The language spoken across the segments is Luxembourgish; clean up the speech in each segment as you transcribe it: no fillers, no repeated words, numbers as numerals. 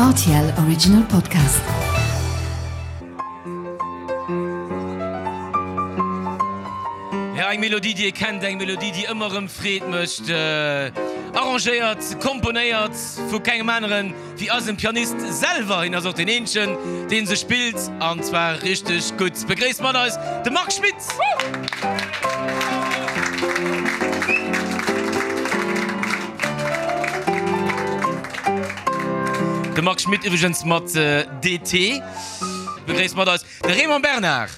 Rtl Original Podcast. Ja, eng Melodie, déi ee kennt, eng Melodie, déi ëmmer erëm Freed mécht. Arrangéiert, komponéiert vu kengem aneren wéi eisem Pianist selwer. Hien ass och deen eenzegen, dee se spillt, an zwar richteg gutt. Begréisst mat eis de Marc Schmitt! De Marc Schmitt iwwregens mat DT. Begréisst mat eis de Raymond Bernard.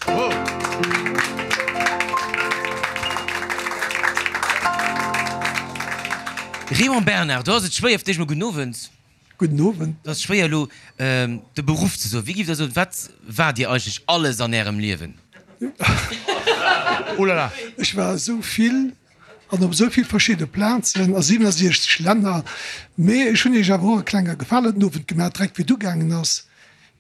Raymond Bernard, do ass et schwéier fir d'éischt mol gudden Owend. Gudden Owend. Do ass et schwéier elo de Beruff ze soen. Wéi giff der soen, wat waart Dir eigentlech alles an Ärem Liewen? Oh la la, ech war esou vill an op esou vill verschidde Plazen a 67 Länner. Mee ech hunn Iech awer och e klenge Gefalen den Owend gemaach, direkt wéi et ugaangen ass,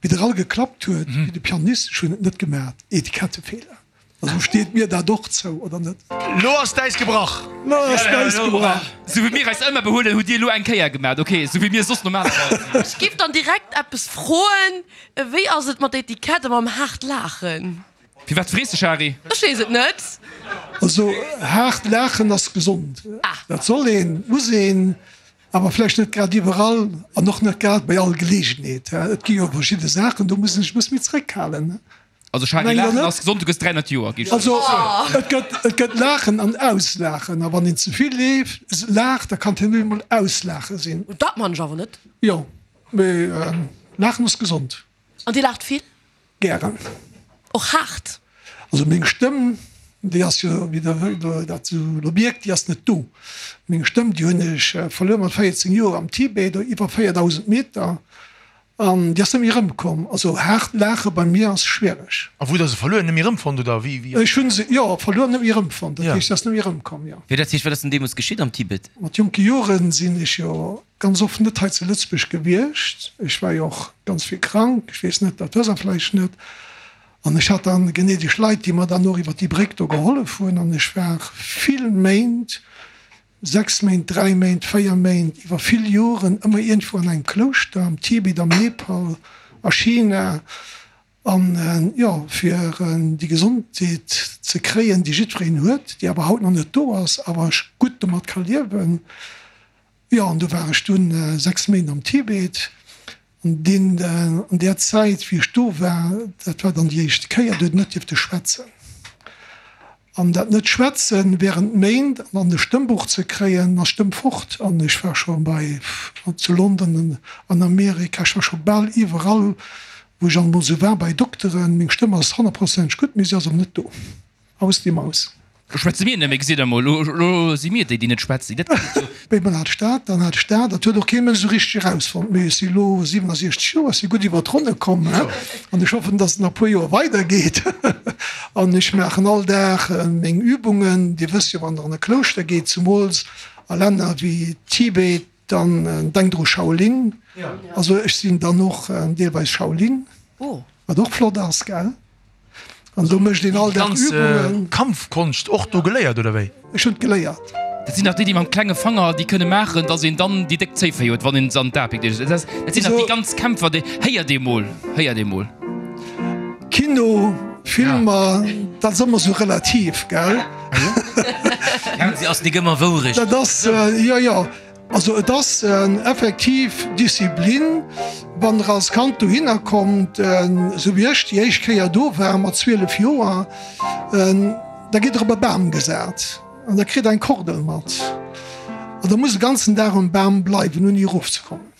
wéi Der all geklappt huet, wéi de Pianist, ech hunn et net gemaach, Etikettefeeler. Also steet mir dat och zou, oder net? Lo ass d'Äis gebrach! Lo ass d'Äis gebrach! Sou wéi mir eis ëmmer behuelen, hutt Dir elo eng Kéier gemaat, ok, sou wéi mir soss normalerweis sinn. Ech giff dann direkt eppes froen, Wéi ass et mat der Etikett a mam haart Laachen? Firwat frees de, Shari? Ech weess et net. Also haart laachen ass gesond. Dat soll een, muss een, awer vläicht net grad iwwerall an och net grad bei all Geleegenheet. Et gi jo verschidde Saachen, do muss een sech e bësse méi zeréckhalen. Also Shari, laachen ass gesond, du gëss 300 Joer, geet Also et gëtt, et gëtt laachen an auslaachen. A wann een ze vill laacht, da kann et herno emol auslaache sinn. Dat man ech awer net. Jo, mee laachen ass gesond. An Dir laacht vill? Gären. Och haart? Also meng Stëmm, déi ass jo, wéi Der dat esou elo mierkt, déi ass net do. Meng Stëmm, déi hunn ech verluer mat 14 Joer am Tibet, iwwer 4.000 Meter, an déi ass net méi erëmkomm. Also haart laache bei mir ass schwiereg. A wou hutt Der se verluer? Net méi erëmfonnt oder wéi? Ech hu se, jo, verluer, net méi erëmfonnt. Dat heescht, se ass net méi erëmkomm, jo. Wéi dat heescht, wat ass denn deemools geschitt am Tibet? Mat jonke Joren sinn ech jo Ganz oft net hei zu Lëtzebuerg gewiescht. Ech war jo och ganz vill krank, ech weess net, dat wësst Der vläicht net. An ech hat dann gnädeg Leit, déi mer dann och iwwer déi Bréck do gehollef hunn. An ech war vill Méint, 6 Méint, 3 Méint, 4 Méint, iwwer vill Joren ëmmer iergendwou an engem Klouschter, am Tibet, am Nepal, a China. An jo, fir déi Gesondheet ze kréien, déi jiddwereen huet, déi awer haut nach net do ass, awer ech gutt domat ka liewen. Jo, an do war ech dunn 6 Méint am Tibet. An deen, an där Zäit, wéi ech do war, dat war dann déi éischte Kéier, do huet een net dierfte schwätzen. An dat Net-Schwätzen während Méint an dann e Stëmmbuch ze kréien, ass d'Stëmm fort. An ech war scho bei, zu London, an Amerika, ech war scho bal iwwerall, wou ech alt emol esou war, bei Dokteren. Meng Stëmm ass honnertprozenteg gutt, mee si ass awer net do. Aus die Maus. Lo schwätze mir net méi, gesitt der mol, lo si mir déi, déi net schwätzen. Dat geet jo. Bémol hat ech dat, dann hat ech dat. Dat huet och kee Mënsch esou richteg erausfonnt. Mee ech si elo 67 Joer, ech si gutt iwwer d'Ronne komm an ech hoffen, dass et nach e puer Joer weidergeet. An ech maachen all Dag meng Übungen. Dir wësst jo, wann Der an e Klouschter geet, zumools a Länner wéi Tibet, dann denkt Der u Shaolin. Also ech sinn dann och deelweis Shaolin, wat och flott ass, gell? An do mécht een all Dag Übungen. Déi ganz Kampfkonscht och do geléiert, oder wéi? Ech hunn et geléiert. Dat sinn nach déi, déi mam klenge Fanger déi kënne maachen, datt een dann déi déck Zéiféi huet, wann een se an d'A pickt. Dat sinn nach déi ganz Kämpfer, déi, héiert ee mol, héiert ee mol. Kino, Filmer, dat ass ëmmer sou relativ, gell? Fernseh ass nik ëmmer Wourecht. Dat ass, jo, jo. Also et ass effektiv Disziplin, wann der als Kand dohinner kommt, esou wéi ech déi éischt Kéier do war mat 12 Joer, da gitt der op e Bam gesat an da kritt der eng Kordel mat an da musst e ganzen Dag um Bam bleiwen ouni erofzekommen.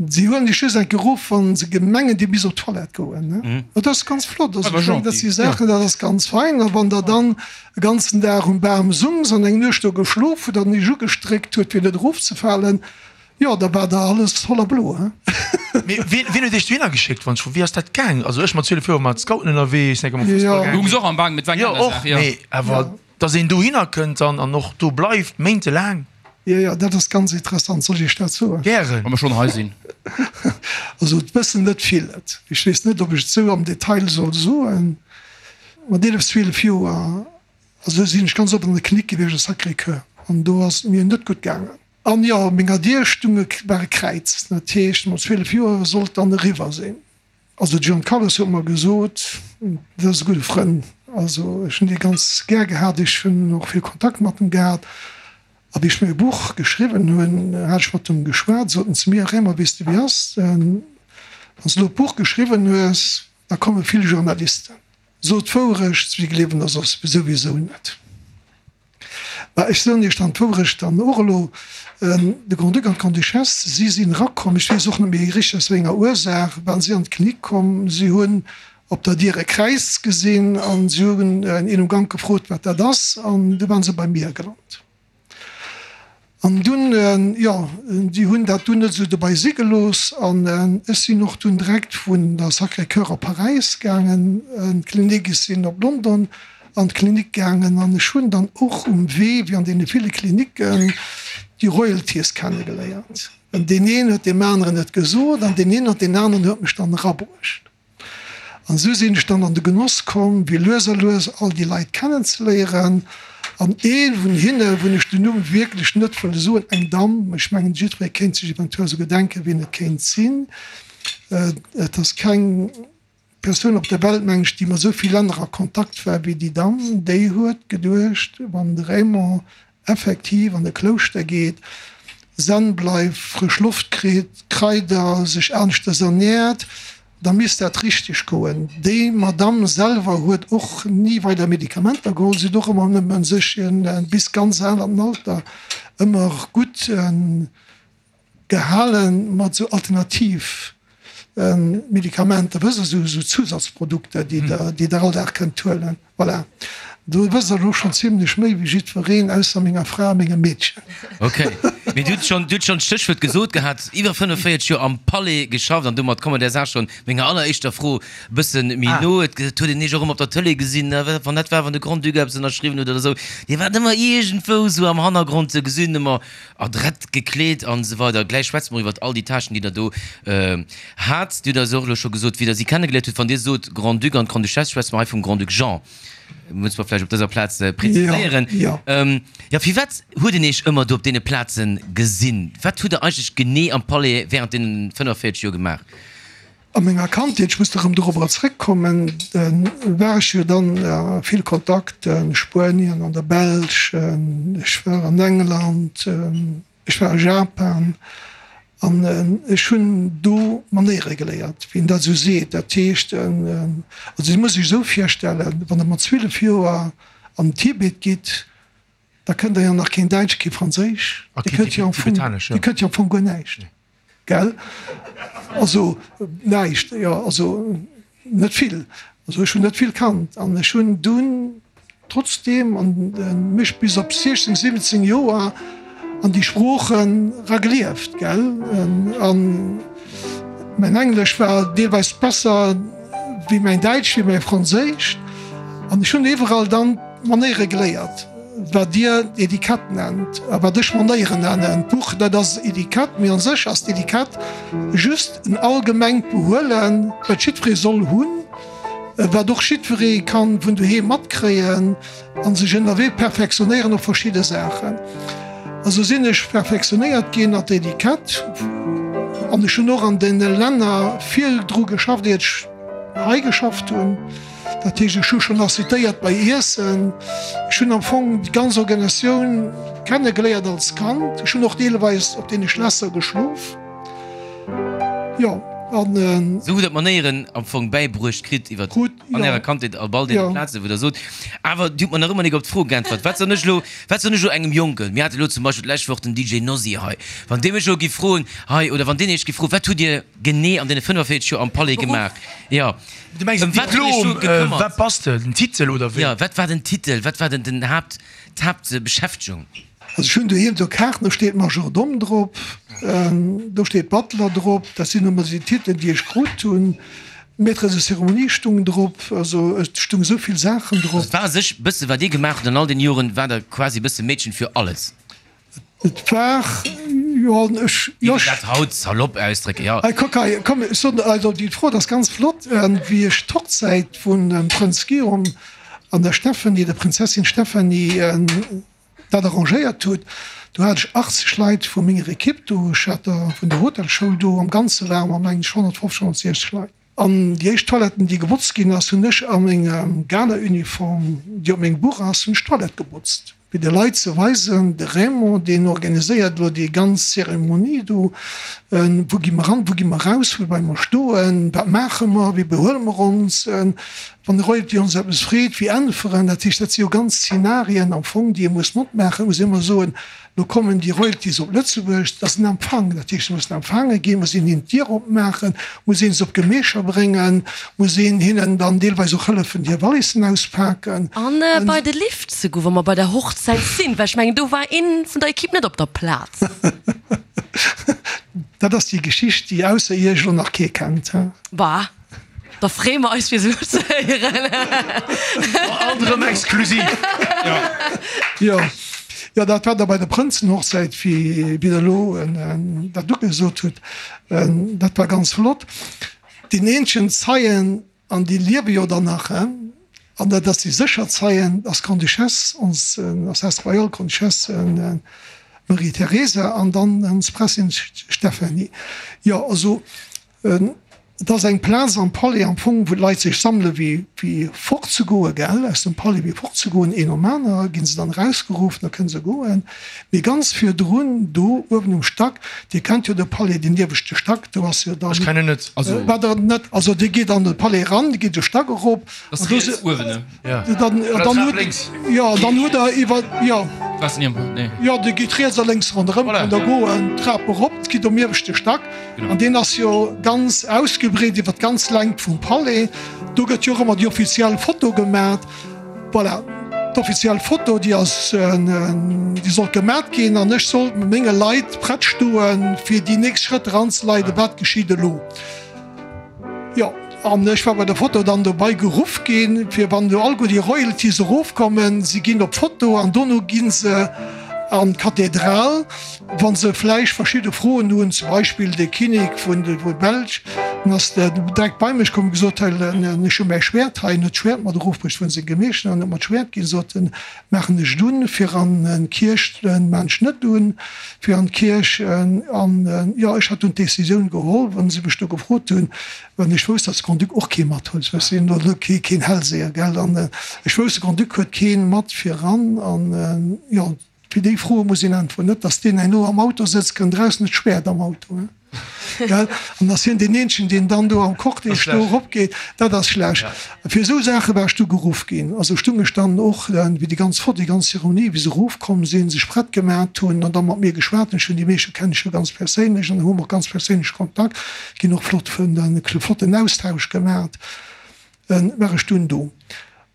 Si huelen dech just enke erof, wa se mengen, dir misst op d'Toilette goen. Dat ass ganz flott. Also ech mengen, dat si Saachen, dat ass ganz fein. A wann der dann e ganzen Dag um Bam sungs an eng Nuecht do geschlof hutt an iech ugestréckt huet, fir net erofzefalen, jo, da war der alles voller Blo. Mee wien huet iech dohinner geschéckt? Wann ech froen, wéi ass dat gaang? Also ech mat 12 Joer mat Scouten ënnerwee, ech sinn enke mam Fussball gaang. Du hungs och am Bam, mee et war eng Jo, aner och, Saach, jo. mee awer Dass een dohinner kënnt dann an och do bleift, méintelaang. Jo, jo, dat ass ganz interessant. Soll ech Iech dat soen? Gären. Wa mer schonn hei sinn. Also, et wëssen net vill et. Ech weess net, ob ech et esou am Detail soll soen. Mat 11, 12 Joer, also sinn ech ganz oft an der Klinik gewiescht, a Sacré-Cœur, an do ass et mir net gutt gaangen. An jo, op menger Dier stung e, war e Kräiz. Dat heescht, mat 12 Joer sollt dann eriwwer sinn. Also de John Carlos huet mer gesot, dat ass e gudde Frënn, also ech hunn dee ganz gär gehat, ech hunn och vill Kontakt mat em gehat. A wéi ech mäi Buch geschriwwen hunn, hat ech mat em geschwat, sot en zu mir, Raymond, weess de wéi ass, wann s de elo d'Buch geschriwwen hues, da komme vill Journalisten. So d'Wourecht, si gleewen der soss souwisou net. Mä ech soen Iech dann d'Wourecht dann och elo, De Grand-Duc an d'Grande-Duchesse, si sinn erakomm, ech weess och net méi richteg aus wéi enger Ursaach, waren si an d'Klinik komm, si hunn op der Dier e Kräiz gesinn an si hunn een um Gank gefrot, wat dat ass, an du waren se bei mir gelant. An dunn, jo, déi hunn dat dunn net esou dobei si gelooss an ech sinn och dunn direkt vun der Sacré-Cœur op Paräis gaangen an d'Klinik, ech sinn op London an d'Klinik gaangen an ech hunn dann och um Wee, wéi an deene ville Klinicken, déi Royalties kennegeléiert. An deen een huet deem aneren et gesot an deen een an deen aneren huet mech dann erabruecht. An esou sinn ech dann an de Genoss komm, wéi lues a lues all déi Leit kennenzeléieren. An ee vun hinne, wou ech den Numm wierklech net wëll soen, eng Damm, ech mengen jiddweree kéint sech eventuell esouguer denken, wien et kéint sinn, et ass keng Persoun op der Welt, meng ech, déi mat esou vill Länner a Kontakt war wéi déi Damm, déi huet geduecht, wann de Raymond effektiv an e Klouschter geet, zen bleift, frësch Loft kritt, Kraider, sech aneschters ernährt, da misst dat richteg goen. Déi Madamm selwer huet och ni weider Medikamenter geholl, si huet och ëmmer nëmme sech bis ganz al an den Alter ëmmer gutt Gehalen mat esou alternativ Medikamenter, wësst der, esou Zusatzprodukter, déi der, déi der all Dag kënnt huelen. Voilà. Do wësst der elo schonn zimlech méi wéi jiddwereen, ausser menger Fra a mengem Meedchen. Ok. Mee du hutt schonn, du hutt schonn d'Stéchwuert gesot gehat, iwwer 45 Joer am Palais geschafft an domat komme mer där Saach schonn, menger alleréischter Fro, e bësse méi no. Et huet een Iech och ëmmer op der Tëlee gesinn, wann dat war, wann de Grand-Duc eppes ënnerschriwwen huet oder esou. Dir waart ëmmer iergendwou esou am Hannergrond ze gesinn, ëmmer Adrett gekleet an esou weider. Gläich schwätze mer iwwert all déi Tâchen, déi Der do hat. Dir hutt eis och elo scho gesot, wéi Der si kennegeléiert hutt. Wann Dir sot Grand-Duc an d'Grande-Duchesse, schwätze mer hei vum Grand-Duc Jean. Musse mer vläicht op dëser Plaz preziséieren. Jo, firwat huet een Iech ëmmer do op deene Plaze gesinn? Wat hutt Der eigentlech genee am Palais während deenen 45 Joer gemaach? A menger Kandheet, ech muss erëm dorobber zréckkommen, war ech jo dann a vill Kontakt, a Spuenien, an der Belsch, ech war an England, ech war a Japan an ech hunn do Manéiere geléiert, wéi een dat esou seet. Dat heescht, also Dir musst Iech esou virstellen, wann Der mat 12 Joer an den Tibet gitt, da kënnt Der jo nach keen Däitsch, kee Franséisch, Dir kënnt jo am Fong, Dir kënnt jo am Fong guer näischt. Gell? Also näischt, jo, also net vill. Also ech hunn net vill kannt an ech hunn dunn trotzdeem an mech bis op 16, 17 Joer an déi Sproochen era gelieft, gell? An mäin Englesch war deelweis besser wéi mäin Däitsch, wéi mäi Franséisch an ech hunn iwwerall dann Manéiere geléiert. Wat Dir Etikett nennt a wat ech Manéieren nennen. D'Buch, dat ass Etikett, mee a sech ass d'Etikett just en allgemengt Behuelen, wat jiddweree soll hunn, wat och jiddweree ka vun doheem matkréien a sech ënnerwee perfektionéieren op verschidde Saachen. A sou sinn ech perfektionéiert ginn an der Etikett an ech hunn och an deene Länner vill dru geschafft, iert ech hei geschafft hunn. Dat heescht, ech hu schonn assitéiert bei Iessen. Ech hunn am Fong déi ganz Organisatioun kennegeléiert als Kand. Ech hunn och deelweis op deene Schlässer geschlof. Jo, an. Sou hutt Der d'Manéieren am Fong bäibruecht kritt iwwer an Ärer Kandheet op all deene Plazen, wou Der sot. Awer Dir hutt mer nach ëmmer nik op d'Fro geäntwert. Wat soen ech elo, wat soen ech elo engem Jonken? Mir hate elo zum Beispill d'lescht Woch den DJ Nosy hei. Wann dee mech elo giff froen, hei, oder wann deen Iech giff froen, Wat hutt Dir genee an deene 45 Joer am Palais gemaach? Jo. Du mengs den Diplom, wat bass de, den Titel oder wéi? Jo, wat war den Titel, wat war den den Haapt, d'Haaptbeschäftegung? Also ech hunn doheem do Kaarten, do steet Majordome drop, do steet Butler drop, dat sinn ëmmer déi Titelen, déi ech krut hunn. Maître de cérémonie stung drop, also et stung esou vill Saachen drop. Also et war a sech bësse wat Dir gemaach hutt an all den Joren, war Der quasi bësse Mädchen für alles? Et war, jo, ech, jo, ech. Dat haut salopp ausdrécken, jo. Hei, kuck hei, komm, ech soen, also déi Fro, dat ass ganz flott, wéi ech d'Hochzäit vun dem Prënz Guillaume an der Stephanie, der Prinzessin Stephanie, dat arrangéiert hutt. Do hat ech 80 Leit vu menger Ekipp do, ech hat der vun der Hotelschoul do, am Ganze ware mer mengen ech 150, 160 Leit. An déi éischt Toiletten, déi gebotzt ginn ass, hunn ech a menger Gala-Uniform, déi op mengem Buch ass, hunn ech d'Toilette gebotzt, fir de Leit ze weisen, de Raymond, deen organiséiert elo déi ganz Zeremonie do, wou gi mer ran, wou gi mer raus, wou bleiwe mer stoen, wat maache mer, wéi behuele mer ons, wann de Royalty ons eppes freet, wéi äntweren. Dat heescht, dat si jo ganz Zenarien am Fong, déi ee muss matmaachen. Et muss een ëmmer soen, Lo kommen déi Royalties op Lëtzebuerg, dat ass en Empfang, dat heescht, se mussen empfaange ginn, muss een hinnen d'Dier opmaachen, muss een se op d'Gemächer bréngen, muss een hinnen dann deelweis och hëllefen, hir Wallissen auspaken. An bei de Lift ze goen, wa mer bei der Hochzäit sinn, well ech mengen, do war ee vun der Equipe net op der Plaz. Dat ass déi Geschicht, déi ausser Iech elo nach kee kennt. Bah. Da freeë mer eis fir se elo ze héieren. Alt erëm exklusiv. Jo, jo, dat war da bei der Prënzenhochzäit, wéi Der elo dat ugesot hutt. Dat war ganz flott. Deen eenzegen Zeien, an déi liewe jo dann nach, an dat ass déi sécher Zeien, ass d'Grande-Duchesse, ons Altesse Royale Grande-Duchesse Marie-Theresa an dann ons Prinzessin Stéphanie. Jo, also Et ass eng Plaz am Palais am Fong, wou d'Leit sech sammele wéi fortzegoen, gell, aus dem Palais wéi fortzegoen. Een nom aner gi se dann erausgeruff, da kënne se goen. Mee ganz virdrun, do uewen um Stack, Dir kennt jo de Palais, den ieweschte Stack, do ass jo dann. Ech kennen net. Also. Wat der net, also Dir gitt an de Palais eran, Dir gitt de Stack erop. Ass riets uewen, ne? Ja. Dann, dann hutt, jo, dann hutt Der iwwer, jo. Waars ni am Palais, nee. Jo, Dir gitt riets a lénks ronderëm, Voilà. kënnt Der goen, d'Trap erop, gitt um ieweschte Stack. An deen ass jo ganz ausgebreet iwwer d'ganz Längt vum Palais. Do gëtt jo och ëmmer déi offiziell Foto gemat. Voilà, d'offiziell Foto, déi ass, déi sollt gemat ginn an ech sollt mat menge Leit prett stoen, fir déi nächst Schrëtt eranzeleiden, wat geschitt elo. Jo, an ech war bei der Foto dann dobei geruff ginn, fir wann elo alleguer déi Royalties erofkommen, si ginn op d'Foto an dono gi se an d'Kathedral, wa se vläicht verschidde Froen hunn. Zum Beispill de Kinnek vun der Belsch, deen ass direkt bei mech komm, gesot, hei, ech hu mäi Schwäert hei, en huet d'Schwäert mat erofbruecht vun senge Gemeeschen an huet mer d'Schwäert ginn, sot en, Maachen ech et un fir an d'Kierch, maan ech net un fir an d'Kierch. An jo, ech hat dunn d'Décisioun geholl, wann se mech do gefrot hunn, well ech wousst, datt de Grand-Duc och kee mat huet, ech sinn elo keen Hellseher, gell, an ech wousst, de Grand-Duc huet kee mat fir eran. An jo, fir déi Froe muss een äntweren, net datt deen herno am Auto sëtzt, kënnt eraus, net d'Schwäert am Auto. Gell? An ass hien deen eenzegen, deen dann do am Cortège do eropgeet, dat ass schlecht. Fir esou Saache war ech du geruff ginn. Also stung ech dann och, wéi déi ganz Fro, déi ganz Zeremonie, wéi se erofkomm sinn, sech prett gemat hunn an da mat mir geschwat hunn. Ech hunn déi meeschte kenne ech jo ganz perséinlech an hu mer och ganz perséinlech Kontakt, ginn och flott, flotten Austausch gemat, war ech dunn do.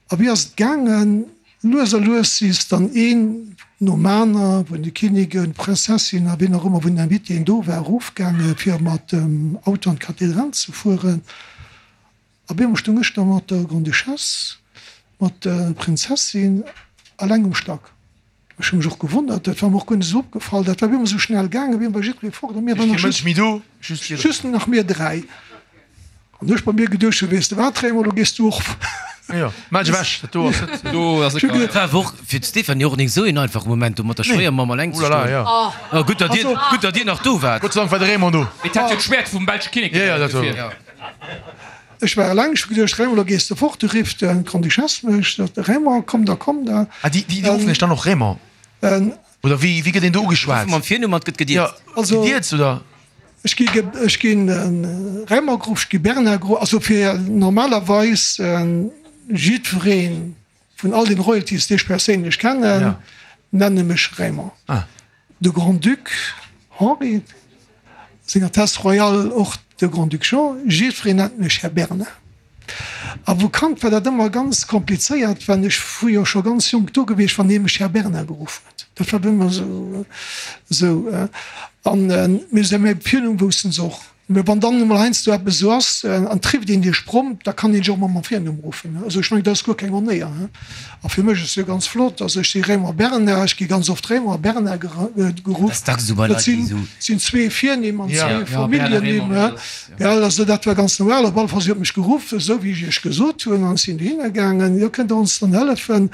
A wéi ass et gaangen? Lues a lues si se dann een nom aner, vun de Kinniken, Prinzessin a wien och ëmmer vun den Invitéen do war, erofgaange fir mat dem Auto an d'Kathedral ze fueren. A bemol stoung ech da mat der Grande-Duchesse, mat der Prinzessin alleng um Stack. Ech hu mech och gewonnert, dat war mer och guer net esou opgefall, dat war op eemol esou schnell gaangen, op eemol war jiddweree fort a mir waren nach just, just nach mir 3. An ech bei mir geduecht hu, weess de wat Raymond, elo gees du och. Jo, mell dech ewech, dat do ass net. Do ass et gar. War och fir d'Stéphanie och nik esou een einfache Moment do mat der Schwéiermamm alleng ze stoen. Oh, gutt datt dir, gutt datt dir nach do waart. Gott sei Dank war de Raymond do. Et hat jo d'Schwäert vum belsche Kinnek gebraucht dofir. Ech war eleng, ech hu geduecht, Raymond, elo gees de fort, du rifft d'Grande-Duchesse mech, sot de Raymond, komm da, komm da. Ah, déi, déi ruffen dech dann och Raymond? Oder wéi, wéi gëtt een do ugeschwat? Mam Virnumm an et gëtt gedierzt. Also, Gedierzt, oder? Ech gi, ech ginn Raymond geruff, ech gi Bernard geruff, also fir normalerweis jiddweree vun all den Royalties, déi ech perséinlech kennen, nenne mech Raymond. De Grand-Duc Henri, Seng Altesse Royale och de Grand-Duc Jean, jiddwereen nennt mech Här Bernard. A wou Kand war dat ëmmer ganz komplizéiert, well ech fu jo scho ganz jonk do gewiescht, wann ee mech Här Bernard geruff huet. Dat war ëmmer esou. An mee mäi Virnumm woussten se och. Mä wann dann emol heiansdo eppes esou ass an et rifft een Iech prompt, da kann een Iech och emol mam Virnumm ruffen. Also ech mengen, dat ass guer keng Onéier. A fir mech ass et jo ganz flott, also ech si Raymond Bernard, ech gi ganz oft Raymond a Bernard geruff. Dat sinn zwee Virnimm an zwee Familljennimm. Gell, also dat war ganz normal. Op alle Fall, si huet mech geruff, esou wéi ech Iech gesot hunn, an ech sinn dohinner gaangen. Jo, kënnt Der ons dann hëllefen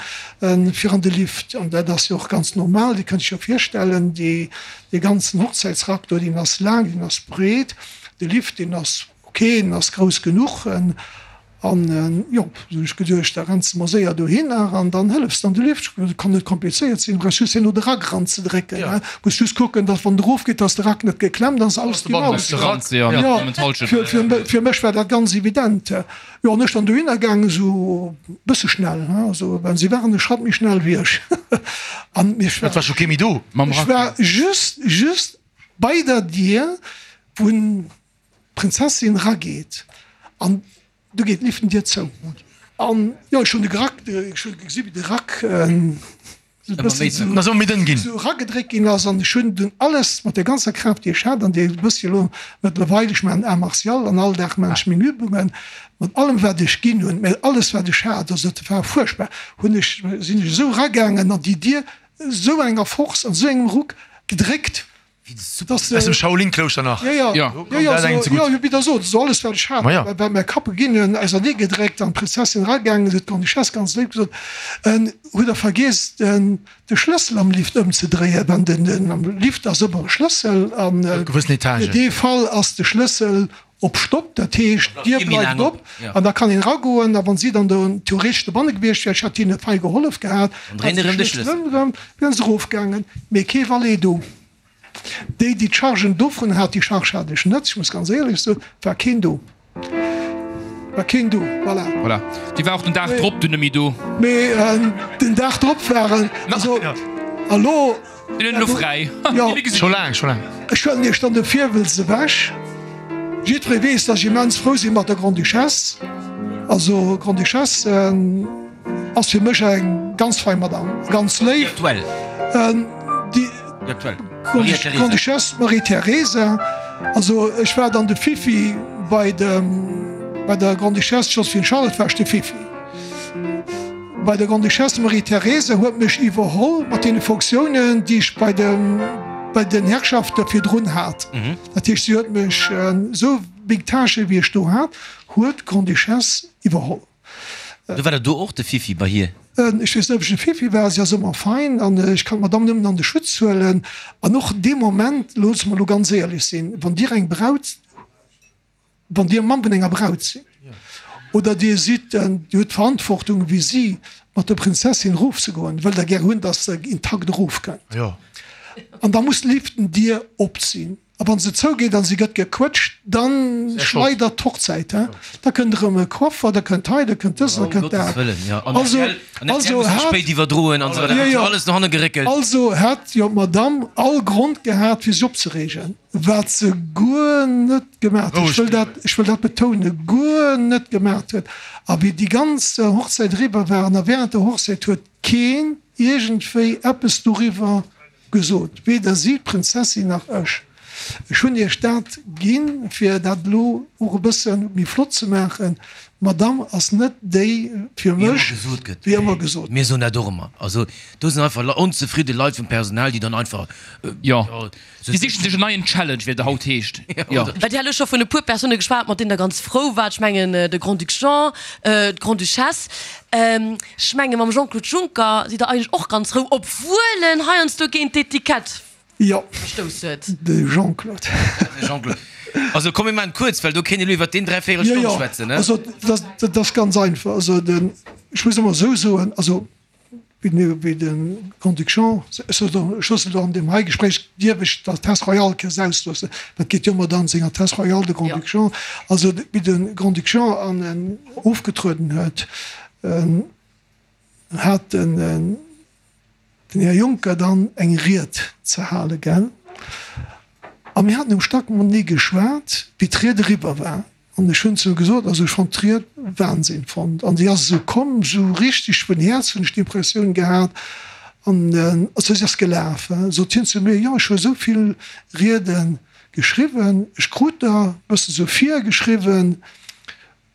fir an de Lift? An dat ass jo och ganz normal, Dir kënnt Iech jo virstellen, déi, dee ganzen Hochzäitsrack do, deen ass laang, deen ass breet, de Lift, deen ass ok, deen ass grouss genuch. An jo, du hunn ech geduecht, da renns de mol séier dohinner an dann hëllefs de an de Lift. Dat kann net komplizéiert sinn, du brauchs just herno de Rack eranzedrécken. Du muss just kucken, datt wann en erofgeet, datt de Rack net geklemmt ass, alles déi Maus. Jo, fir mech war dat ganz evident. Jo, an ech dann dohinner gaangen, esou e bësse schnell, also well si waren e Schratt méi schnell wéi ech. An ech war ech war just, just bei der Dier, wou D'Prinzessin rageet an du geet d'Liftendier zou. An jo, ech hunn de Rack, ech hunn gesi wéi de Rack esou e bëssen esou eragedréckt ginn ass an ech hunn dunn alles mat der ganzer Kraaft déi ech hat an déi e bëssi elo mëttlerweil, ech maachen Arts martial an all Dag maachen ech meng Übungen, mat allem wat ech ginn hunn, mä alles wat ech hat, also dat war fuerchtbar, hunn ech, sinn ech esou eragaangen an déi Dier esou enger Force an esou engem Ruck gedréckt, Aus dem Shaolin-Klouschter nach. Jo, jo, jo, jo, esou, jo, wéi Der sot, esou alles wat ech hat, wat mäi Kapp geginn hunn, ausernee gedréckt an d'Prinzessin eragaangen, huet d'Grande-Duchesse ganz léif gesot, Hutt Der vergiess de Schlëssel am Lift ëmzedréien? Well den, am Lift ass ëmmer e Schlëssel an fir dee Fall ass de Schlëssel op Stopp, dat heescht d'Dier bleift op an da kann een eragoen a wann si dann do theoretesch dobanne gewiescht wär, ech hätt hinnen fei gehollef gehat, hätt se de Schlëssel erëm, wieren se erofgaangen, mee kee Valet do. Déi, déi d'Chargen dovun hat, déi Charge hat ech net, ech muss ganz éierlech soen, war keen do, war keen do, voilà. Voilà, déi war och den Dag drop dunn net méi do. Mee den Dag drop waren, also a lo. Mir hunn elo fräi. Jo. Scho laang, scho laang. Ech huelen Iech dann de Virwëlz ewech. Jiddweree weess, dass ech immens frou si mat der Grande-Duchesse. Also Grande-Duchesse ass fir mech eng ganz fein Madame, ganz léif. Déi aktuell. Déi aktuell. Grande-Duchesse Marie-Thérèse. Also ech war dann de Fifi bei dem, bei der Grande-Duchesse Joséphine-Charlotte war ech de Fifi. Bei der Grande-Duchesse Marie-Thérèse huet mech iwwerholl mat deene Fonctiounen, déi ech bei de, bei den Herrschafte virdrun hat. Dat heescht, si huet mech, esou meng Tâchen, wéi ech do hat, huet d'Grande-Duchesse iwwerholl. Du war der do och de Fifi bei hir? Ech weess net, ob ech de Fifi war. Si ass ëmmer fein an ech kann d'Madame nëmmen an de Schutz huelen. An och dee Moment, loosse mer elo ganz éierlech sinn, wann Dir eng Braut, Wann Dir Mamm vun enger Braut sidd oder Dir sidd, Dir hutt d'Verantwortung wéi si mat der Prinzessin erofzegoen, wëllt Der gär hunn, dass se intakt erofkënnt. An da muss d'Liftendier op sinn. A wann se zougeet an si gëtt gequëtscht, da schleidert d'Hochzäit. Da kënnt erëm e Coiffer, da kënnt hei, da kënnt dësen, da kënnt dat. Also, also hat, also hätt jo d'Madamm all Grond gehat fir sech opzereegen. Wat se guer net gemaat huet, ech wëll dat, ech wëll dat betounen, guer net gemaat huet. A wéi déi ganz Hochzäit eriwwer war an a während der Hochzäit huet keen iergendwéi eppes doriwwer gesot, weder si, d'Prinzessin, nach ech. Ech hunn iech dat ginn, fir dat elo och e bësse méi flott ze maachen. D'Madame ass net déi fir mech, wéi ëmmer gesot gëtt. Mir soen dat och ëmmer. Also do sinn einfach onzefridde Leit vum Personal, déi dann einfach, jo, Déi sichen sech en neien Challenge, wéi et haut heescht. Jo. Well Dir hat elo scho vun e puer Persoune geschwat, mat deenen Der ganz frou waart. Ech mengen de Grand-Duc Jean, d'Grande-Duchesse. Ech menge mam Jean-Claude Juncker sidd Der eigentlech och ganz frou, obwuel en heiansdo géint d'Etikett verstouss huet. Jo, de Jean-Claude. De Jean-Claude. Also komm mir maachen et kuerz, well do kéint een elo iwwert deen dräivéierel Stonn schwätzen, ne? Jo, jo, also dat ass ganz einfach. Also den, ech muss ëmmer esou soen, also wéi de Grand-Duc Jean, ech loossen elo an deem hei Gespréich, dierf ech d'Altesse Royale këss ausloossen, dat geet jo ëmmer dann senger Altesse Royale, de Grand-Duc Jean, also wéi de Grand-Duc Jean an ofgetrueden huet, hat den Här Juncker dann eng Ried ze hale, gell? A mir haten um Stack matenee geschwat, wéi d'Ried eriwwer war. An ech hunn zu em gesot, also ech fonnt d'Ried Wahnsinn fonnt an déi ass esou komm, esou richteg vun Häerz hunn ech d'Impressioun gehat an also si ass gelaf. Sot hien zu mir, jo ech hu esou vill Riede. Geschriwwen. Ech krut der e bësse sou virgeschriwwen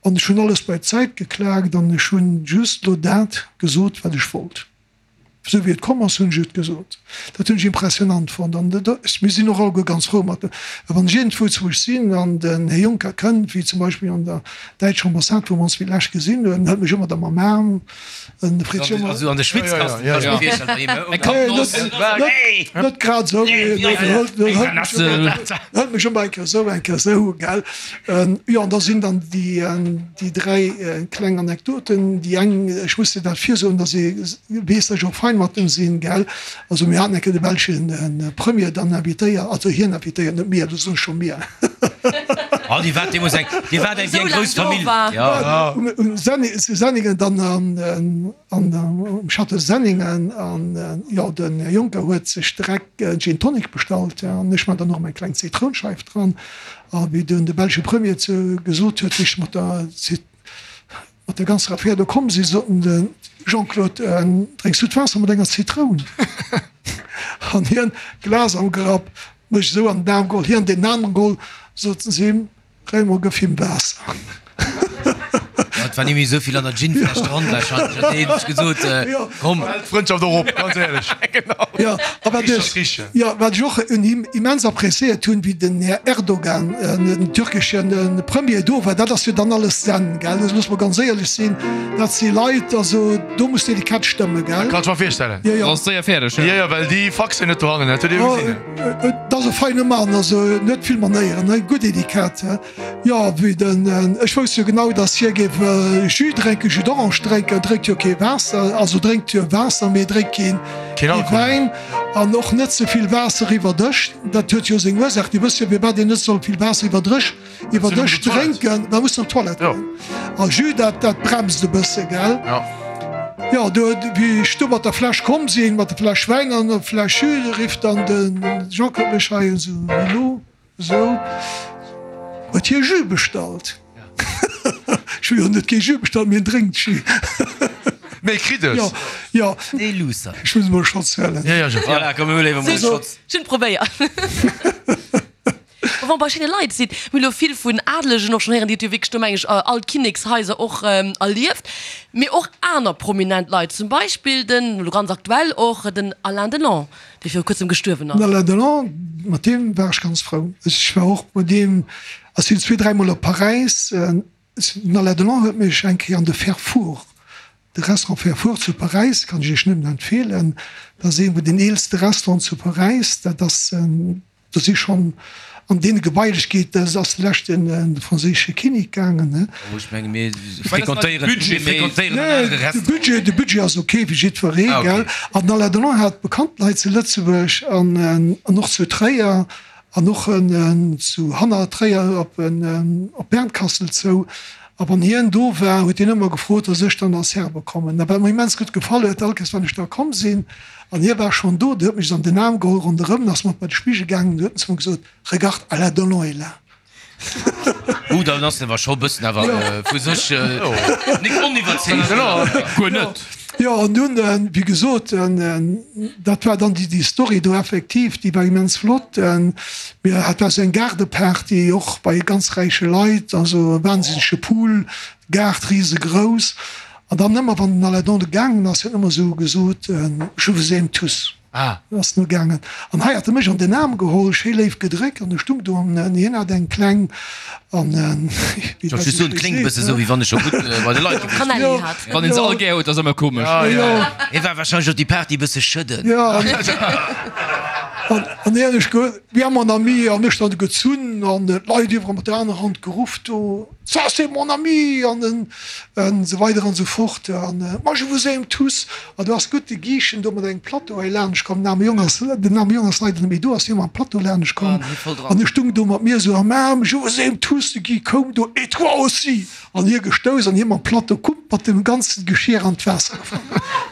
an ech hunn alles bei d'Säit geklaakt an ech hunn just lo dat gesot, wat ech wollt. Esou wéi et komm ass, hunn ech et gesot. Dat hunn ech impressionant fonnt an mir sinn och alleguer ganz frou mat. Well wann ech iergendwou zu ech sinn an den Här Juncker kënnt, wéi zum Beispill an der däitscher Ambassade, wou mer ons fir d'lescht gesinn hunn, hëlt mech ëmmer da mam Aarm en freet sech ëmmer. Also an de Schwitzkasten, kann ech mir virstellen, bei him, oder? Net grad esou, mee hëlt mech ëmmer eng Kéier esou, eng Kéier esou, gell. Jo, an da sinn dann déi. Déi 3 kleng Anekdoten, déi eng, ech muss dir dat virsoen, dass ee weess, dass ech och fein mat em sinn, gell. Also mir haten eng Kéier de belschen Premier dann invitéiert, also hien invitéiert, net mir, dat soen ech scho mir. Oh, Dir waart deemools eng, Dir waart eng wéi eng grouss Famill, jo. Um Senning, zu Senningen dann an, an um Château Senningen an, jo, den Här Juncker huet sech direkt en Gin Tonic bestallt, an ech man dann och meng kleng Zitrounscheif dran. A wéi dunn de belsche Premier zu gesot huet, wéi ech mat der mat der ganzer Affär do komm sinn, sot en, de Jean-Claude, drénks du d'Waasser mat enger Zitroun? An hien, Glas am Grapp, mech esou an den Aarm geholl, hien deen aneren geholl, soten si him, Raymond, gëff him Waasser. Et war ni méi esou vill an der Ginfläsch dran wahrscheinlech, huet hien sech gesot, komm. Hält d'Frëndschaft och op, ganz éierlech. Jo, a wat ech, jo, wat ech och un him immens appréciéiert hunn, wéi den Här Erdogan, den türkeschen Premier do war, dat ass jo dann alles Zen, gell, dat muss mer ganz éierlech sinn, dat si Leit, also do muss d'Etikett stëmme, gell. Dat kann ech mer virstellen. Jo, jo. Ass séier fäerdeg, jo. Jo, jo, well déi faxen net dohannen, dat huet ee jo gesinn. Et ass e feine Mann, also en huet vill Manéieren, ne, gutt Etikett. Jo, wéi den, ech wousst jo genau, dass hie géif Jus drénken, Jus d'orange drénken, drénkt jo kee Waasser, also drénkt jo Waasser, mee drénkt keen, kee Wäin an och net ze vill Waasser iwwer Dësch. Dat huet jo seng Ursaach, Dir wësst jo, firwat een net soll vill Waasser iwwer Drësch, iwwer Dësch drénken, da muss en op d'Toilette goen. A Jus, dat, dat bremst e bësse, gell? Jo, do, wéi ech do mat der Fläsch komm sinn, mat der Fläsch Wäin an der Fläsch Jus, rifft dann de Jean-Claude mech hei esou, Elo? Sou, huet hie Jus bestallt? Ech hu jo net kee Jus bestallt, mee en drénkt Jus. Mee kritt es? Jo, jo. Dee Loser. Ech muss emol e Schotz huelen. Jo, jo, Jean. Voilà, komm, mir huele emol e Schotz. Ech hunn probéiert. Wa mer bei schéine Leit sinn, mir hu lo vill vun Adelegen och schonn héieren, déi huet jo wierklech do, meng ech, all d'Kinnekshaiser och erlieft, mee och aner prominent Leit, zum Beispill den, elo ganz aktuell och, den Alain Delon. dee viru kuerzem gestuerwen ass. Den Alain Delon, mat deem war ech ganz frou. Ech war och mat deem, ech sinn zwee, dräimol op Paräis. Den Alain Delon huet mech eng Kéier an de Ferfour, de Restaurant Ferfour zu Paräis, kann ech Iech nëmmen empfeelen, dat ass ee vun den eelste Restauranten zu Paräis, dat ass, Do si schonn an deene Gebailechkeeten, dat ass de leschte franséische Kinnek gaangen, ne? Oh, ech menge mir fréquentéieren, mir fréquentéieren en anere Restaurant. De Budget, de Budget ass ok fir jiddweree, gell? An den Alain Delon hat bekannt Leit zu Lëtzebuerg an an och zu Tréier an och zu hanner Tréier op op Bernkastel zou. A wann hien do war, huet hien ëmmer gefrot, dass ech dann als Serbe kommen. A wat mer immens gutt gefall huet, all Kéiers wann ech da komm sinn, An hie war schonn do, dee huet mech an den Aarm geholl ronderëm, ass mat bei de Spigel gaangen, du huet en zu mer gesot, Regarde, Alain Delon est là. Uh, dann ass en awer scho bëssen awer vu sech nik oniwwerzeegt. Guer net. Jo, an dunn, wéi gesot, dat war dann déi Story do effektiv, déi war immens flott. Mir, dat war esou eng Gaardeparty, och bei ganz räiche Leit, also e wahnsinnege Pool, Gaart risegrouss. An dann ëmmer wann den Alain Donde gaangen ass, huet en ëmmer esou gesot, Je vous aime tous. Ah. Ass en ugaangen. An hei hat e mech an den Aarm geholl, schéi léif gedréckt an ech stung do an hien hat eng kleng an, wéi Ech wollt just soen, kléngt e bësse sou, wéi wann e scho gutt bei de Leit gewiescht wier. Hat. Wann een se all gär huet, ass ëmmer komesch. Jo. Hie war warscheinlech och déi Party e bësse schëdden. Jo. An hien ech ge, ja mon ami, an ech dann gezunn an d'Leit iwwerall mat der anerer Hand geruff do. Ça c'est mon ami an esou weider an esou fort an moi je vous aime tous an do ass gutt de Giischen do mat engem Plateau hei laanscht komm, den aarme Jong ass, den aarme Jong ass leider net méi do, ass hie mam Plateau laanscht komm an e stung do mat mir esou am Aarm, je vous aime tous, de Guy koum do, et toi aussi an hie gestouss an hie mam Plateau kump mat dem ganzen Geschir an d'Waasser gefall.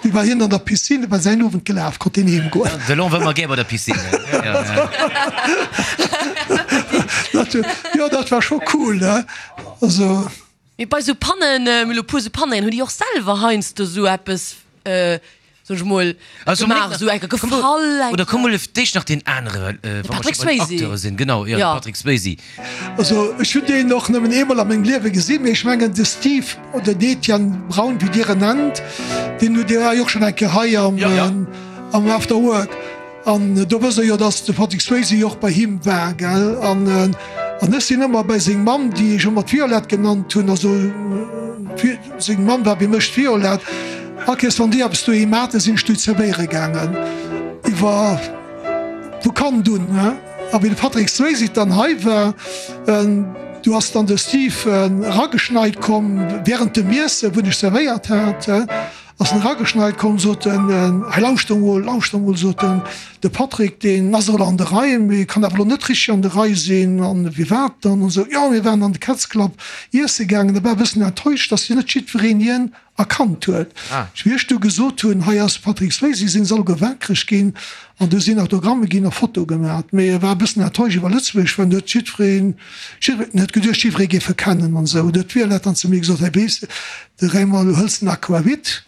Du war hien an der Piscine, war säin Owend gelaf, konnt hien heem goen. De Lon war ëmmer gär bei der Piscine. Dat, jo, dat war scho cool, ne? Also. Mee bei sou Pannen, mir hu lo puer sou Pannen, hunn déi och selwer heiansdo sou eppes. Soen ech mol, gemaach, esou enker gefall eng Oder komm mol d'éischt nach deen anere, wa mer scho bei den Acteure sinn. Genau, jo, de Patrick Swayze. Also ech hunn deen och nëmmen eemol a mengem Liewe gesinn, mee ech mengen de Steve oder den Etienne Braun, wéi Dir en nennt, deen hutt Dir war jo och schonn eng Kéier hei am After Work. An do wësst Der jo, dass de Patrick Swayze jo och bei him war, gell? An, an ech sinn ëmmer bei seng Mamm, déi ech ëmmer d'Violette genannt hunn, also seng Mamm war bei mech d'Violette. All Kéiers wann déi eppes doheem haten, sinn ech do zerwéiere gaangen, iwwer vu Kand un, he. A wéi de Patrick Swayze dann hei war, du ass dann de Steve erageschneit komm während dem Iessen, wou ech zerwéiert hat, he. Ass en erageschneit komm, sot en, Hei lauschter mol, lauschter mol, sot en, de Patrick, deen ass elo an der Rei, mee kann awer elo net richteg an der Rei sinn. An wéi wat dann? An esou, Jo, mir waren an de Cat's Club iesse gaangen. E war e bëssen enttäuscht, dass hien net jiddwereen hien erkannt huet. Wéi ech du gesot hunn, hei ass de Patrick Swayze, sinn se alleguer waakreg ginn an du sinn Autogramme ginn a Fotoe gemat. Mee e war e bëssen enttäuscht iwwer Lëtzebuerg, well en huet jiddwereen, jiddwereen, en huet geduecht, jiddweree géif e kennen an esou. Du huet d'Violette dann zu mir gesot, Hei weess de, De Raymond, du hëls den Aquavit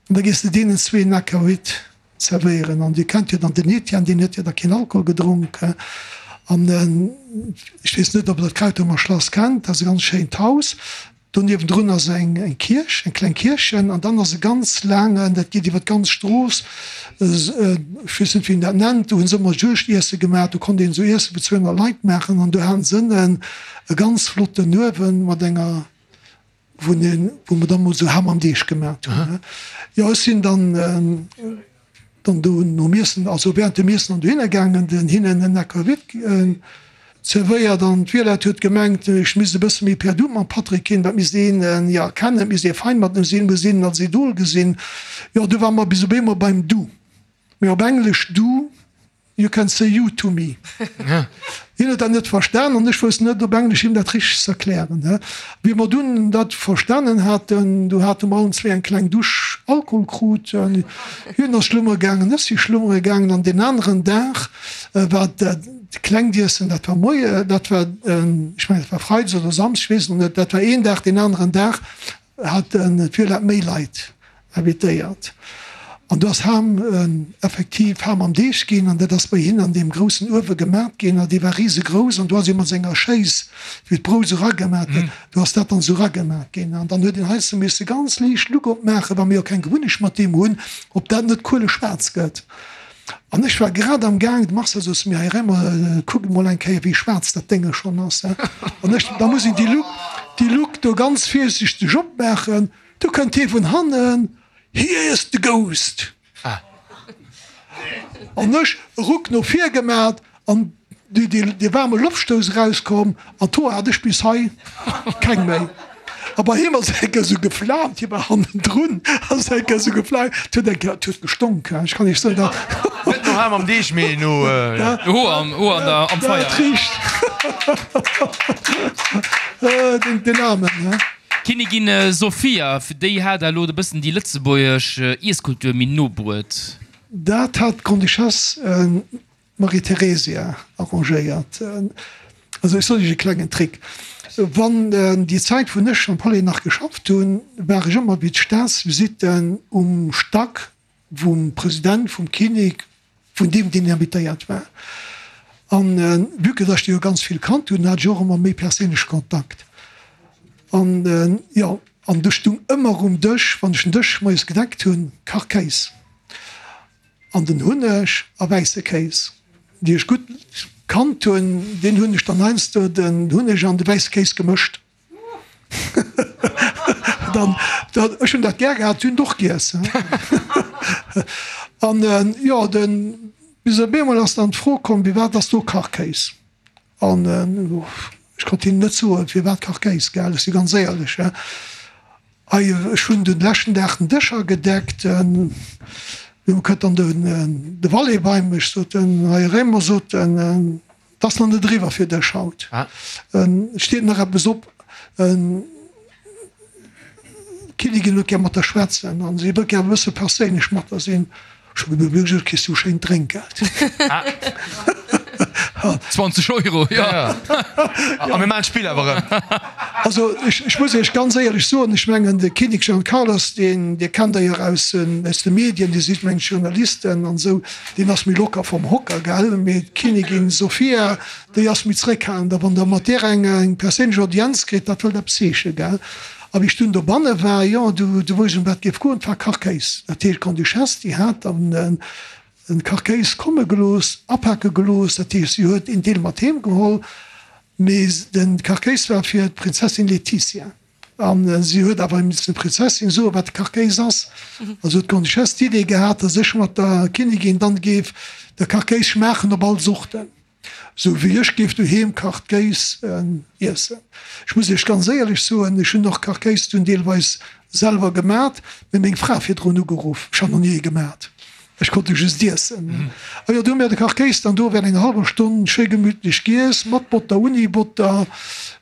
an da gees de deenen zween Aquavit zerwéieren. An dir kennt jo dann den Etienne, deen huet jo da keen Alkohol gedronk. An ech weess net, ob der d'Krautemer Schlass kennt, dat ass e ganz schéint Haus. Do niewendrun ass eng Kierch, eng kleng Kierchen. An dann ass e ganz laangen, dat geet iwwer d'ganz Strooss, ech weess net, wéi een dat nennt, do hu se ëmmer Juegdiesse gemaach, do konnt een esou Iesse fir 200 Leit maachen. An do haten se ënnen e ganz flotten Uewen mat enger wou een, wou mer da mol sou Ham am Deeg gemat hunn. Jo, ech sinn dann dann do nom Iessen, also während dem Iessen an dohinner gaangen, den hinnen en Aquavit zerwéiert an d'Violette huet gemengt, ech misst e bësse méi per du mam Patrick ginn, dat misst een jo kennen, et misst ee fein mat em sinn, muss een en als Idol gesinn. Jo, du ware mer bis op eemol beim Du, mee op Englesch du. You can say you to me. Hien huet dat net verstan an ech wousst net op Englesch him dat richteg ze erklären. Wéi mer dunn dat verstanen haten, du hate mer allen zwee eng kleng Dusch Alkohol krut. Hien ass schlummere gaangen, ech si schlummere gaangen an deen aneren Dag war dat klengt Iessen, dat war moie, dat war, ech mengen dat war Freides oder Samsdes, ech weess et net, dat war een Dag, deen aneren Dag hat d'Violette méi Leit invitéiert an do ass Ham effektiv Ham am Deeg ginn an dat ass bei hinnen an deem groussen Uewe gemat ginn an dee war risegrouss an do ass ee mat senger Schéiss, wéi d'Brout esou eragemat gëtt, do ass dat dann esou eragemat ginn an dann huet een heiansdo misse ganz liicht Luck opmaachen, wa mir jo keng Gewunnecht mat deem hunn, ob dat net kueleschwaarz gëtt. An ech war grad am Gaang, de Marcel sot zu mir, Här Remmer, kuckt emol eng Kéier, wéi schwaarz dat Dénge schonn ass. An ech, da muss een déi Luck, déi Luck do ganz virsichteg opmaachen. Du kënnt hie vun hannen, Here is the ghost! An ech e Ruck no vir gemat an dee waarme Loftstouss erauskomm an d'Hoer hat ech bis hei keng méi. A bei him ass eng Kéier esou geflaamt, hie war hannendrun, ass eng Kéier esou geflaamt, et huet eng Kéier, et huet gestonk, ech kann iech soen, dat. Net no Ham am Deeg, mee no. Hoer am, Hoer an der, am Feier. Dat richt. Den Aarmen. D'Kinnigin Sofia, déi hat elo e bëssen déi lëtzebuergesch Iesskultur méi no bruet. Dat hat d'Grande-Duchesse Marie-Theresia arrangéiert. Also ech soen Iech e klengen Trick, Wann déi Zäit wou ech am Palais nach geschafft hunn, war ech ëmmer wéi d'Staatsvisitten um Stack vum President, vum Kinnek, vun deem deen invitéiert war. An vue que dass ech déi jo ganz vill kannt hunn, hat ech och ëmmer méi perséinlech Kontakt. An jo, an du stung ëmmer um Dësch, wann ech den Dësch moies gedeckt hunn, Kachkéis an den Hunneg a wäisse Kéis. Déi ech gutt kannt hunn, deen hunn ech dann heiansdo den Hunneg an de wäisse Kéis gemëscht. Dann, dann, ech hunn dat gär gehat, si hunn et och giess. An jo, den, bis op eemol ass dann d'Fro komm, Firwat ass do Kachkéis? An ech konnt hinnen net soen, firwat Kachkéis, gell, ech si ganz éierlech. Ei, ech hunn den leschten Dag den Dësch agedeckt, du kënnt dann den, de Valet bei mech, sot en, hei Raymond, sot en, 't ass nach net eriwwer fir dech haut, et steet nach eppes op. D'Kinnigin huet gär mat der schwätzen an si wëllt gär e bësse perséinlech mat der sinn. Ech hu gesot, Kriss du schéint Drénkgeld. 20 Euro, jo. A mir maachen d'Spill awer erëm. Also ech muss Iech ganz éierlech soen, ech mengen de Kinnek Juan Carlos, deen, Dir kennt der jo aus de Medien, Dir sidd meng Journalisten an esou, deen ass méi locker vom Hocker, gell, mee d'Kinnigin Sofia, déi ass méi zréckhalend. A wann Der mat där eng perséinlech Audienz kritt, dat wëllt eppes heeschen, gell. A wéi ech dunn dobanne war, jo, du wousst ech ëm wat et géif goen, et war Kachkéis. Dat heescht, d'Grande-Duchesse, déi hat dann Den Kachkéis komme gelooss, apake gelooss, dat heescht si huet een Deel mat heem geholl, mee den Kachkéis war fir d'Prinzessin Letizia an si huet awer missen der Prinzessin soen, wat de Kachkéis ass. Also huet d'Grande-Duchesse d'Idee gehat, datt ech mat der Kinnigin dann géif de Kachkéis schmaachen op all Sorten. Sou wéi ech géif doheem Kachkéis iessen. Ech muss iech ganz éierlech soen, ech hunn och Kachkéis dunn deelweis selwer gemat, mee meng Fra virdrun ugeruff, ech hat nach ni ee gemat, ech konnt e just iessen. A jo, du hu mir de Kachkéis dann do während enger hallwer Stonn schéi gemütlech giess, mat Botter, ouni Botter,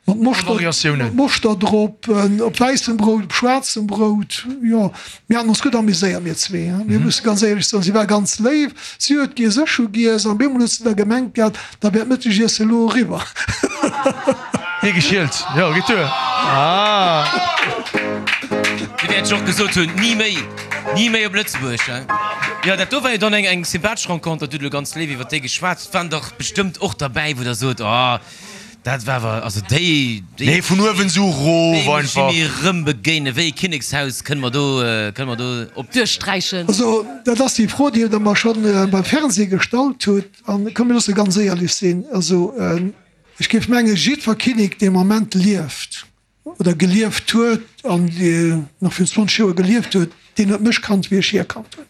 mat Moschter drop, op wäissem Brout, op schwaarzem Brout, jo. Mir haten ons gutt amuséiert, mir zwee, mir musse ganz éierlech soen. Si war ganz léif, si huet giess, ech hu giess, an op eemol huet se da gemengt gehat, da wär d'Mëttegiessen elo eriwwer. Hie geschielt, jo, geet duer. Dir wäert jo och gesot hunn, ni méi, ni méi op Lëtzebuerg, hein? Jo, dat do war jo dann eng, eng sympathesch Renconter, Dir hutt elo ganz léif iwwer déi geschwat. Et waren dach bestëmmt och derbäi, wou Der sot, oh, Dat war awer, also déi, déi. Nee, vun uewen sou rof einfach. Déi muss ech mir rëm begéinen. Wéi ee Kinnekshaus kënne mer do, kënne mer do op. Duerchsträichen. Also dat ass déi Fro, déi Der mer scho beim Fernseh gestallt hutt. An komm mir loosse ganz éierlech sinn, also ech géif mengen, jiddwer Kinnek, dee am Ament lieft, oder gelieft huet an nach virun 20 Joer gelieft huet, deen huet mech kannt, wéi ech hie kannt hunn.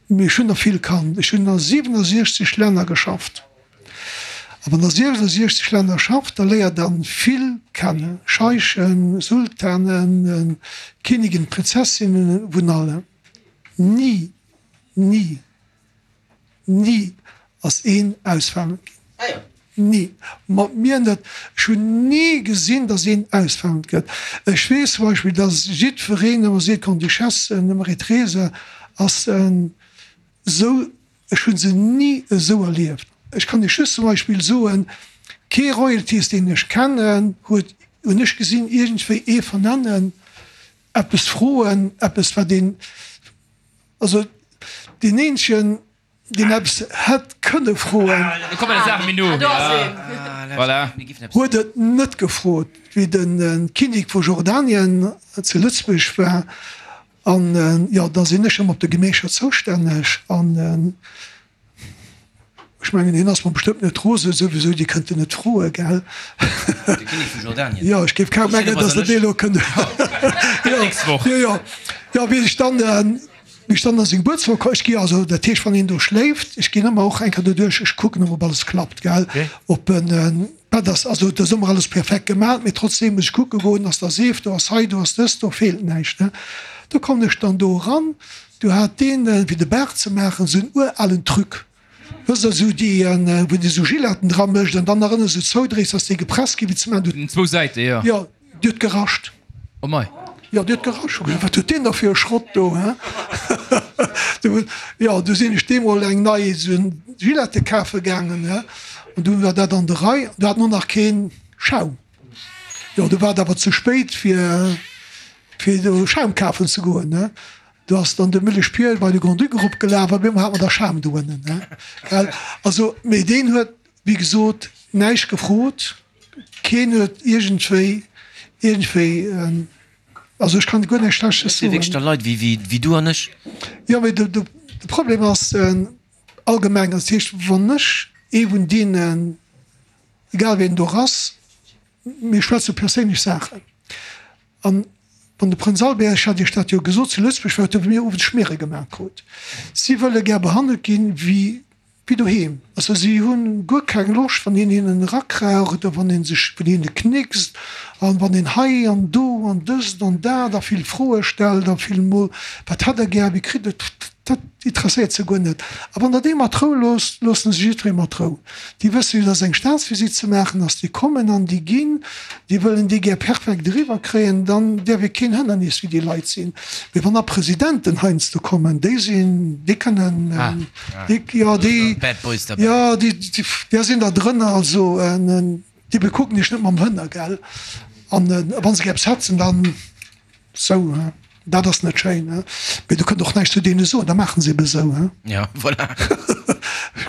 Mee ech hunn der vill kannt. Ech hunn a 67 Länner geschafft. A wann der 67 Länner schafft, da léiert der vill kennen, Scheichen, Sultanen, Kinnigen, Prinzessinnen, vun allem. Ni, ni Ni ass een ausfaange ginn. Ni. Mat mir net. Ech hunn ni gesinn, datt een ausfaangend gëtt. Ech weess zum Beispill, datt jiddwereen ëmmer seet, d'Grande-Duchesse Marie-Therese ass esou. Ech hu se ni esou erlieft. Ech kann Iech just zum Beispill soen, kee Royalties, deen ech kennen, huet, hunn ech gesinn, iergendwéi ee vernennen, eppes froen, eppes wat een. Also deen eenzegen, deen eppes hätt kënne froen, huet et net gefrot, wéi de Kinnek vu Jordanien zu Lëtzebuerg war. An jo, da sinn ech ëmmer op de Gemécher zoustänneg. An Ech mengen hien ass mer bestëmmt net rosen, souwisou, Dir kënnt en net froen, gell? De Kinnek vu Jordanien. Jo, ech géif kaum mengen, datt der dee elo kënnt. Jo, jo, jo, jo, wéi ech dann, wéi ech dann a seng Gebuertswoch komm, ech gi also, dat heescht, wann een do schléift, ech ginn ëmmer och eng Kéier doduerch, ech kucken ëmmer, ob alles klappt, gell, ob en Bett ass, also et ass ëmmer alles perfekt gemaach, mee trotzdeem muss ech kucke goen, ass da Seef do, ass hei do, ass dëst do, feelt näischt, ne? Do kommen ech dann do eran, Do hat deen, fir de Baart ze maachen, esou en uralen Truc, wësst Der, esou déi, wou de esou Giletten dra mécht an dann nach ënne sou zoudréis, dass déi gepresst gi wéi ze maachen. Un zwou Säite, jo. Jo, déi huet gerascht. Oh mei. Jo, déi huet gerascht. Hu gesot, Wat huet deen da fir e Schrott do, he? Du, jo, du sinn ech deemol eng nei esou Gilette kafe gaangen, he, an du war dat an der Rei. Du hat en och nach kee Schaum. Jo, du war et awer ze spéit, fir. Fir do Schaum kafen ze goen, ne? Do ass dann de Müllesch Pier bei de Grand-Duc eropgelaf a bemol hat mer da Schaum do ënnen, ne? Gell? Also, mee deen huet, wéi gesot, näischt gefrot, keen huet iergendwéi, iergendwéi, also ech kann guer näischt Schlechtes Dat si soen. wierklech da Leit wéi, wéi, wéi du an ech. Jo, mee de, de Problem ass allgemeng, dat heescht, wann ech ee vun deenen, egal wien do ass, Mir schwätze perséinlech Saachen. An wann de Prënz Albert, ech hat Iech dat jo gesot, zu Lëtzebuerg war, huet e mir owes Schmiere gemaach krut. Si wëlle gär behandelt ginn wéi wéi doheem. Also si hu guer keng Loscht, wann een hinnen erakraucht oder wann ee sech vun hinne knickst an wann een hei an do an dëst an dat a vill Froe stellt a vill mol, wat hätt Der gär, wéi kritt Der et, dat interesséiert se guer net. A wann Der déi mat Rou loosst, loosse se jiddweree mat Rou. Déi wësse jo, dass eng Staatsvisitt ze maachen ass. Déi kommen an déi ginn. Déi wëllen déi gär perfekt eriwwer kréien. Dann däerf ee keen Hënnernis fir déi Leit sinn. Mee wann da Presidenten heiansdo kommen, déi sinn, déi kënnen, déi, jo, déi, Bad Boys derbäi. Jo, déi, déi sinn da drënner, also déi bekucken iech net mam Hënner, gell? An wa se eppes hetzen, dann sou, he? Dat ass net schéin, he? Mee du kënnt och näischt zu deene soen, da maachen se ebe sou, he? Ja, voilà.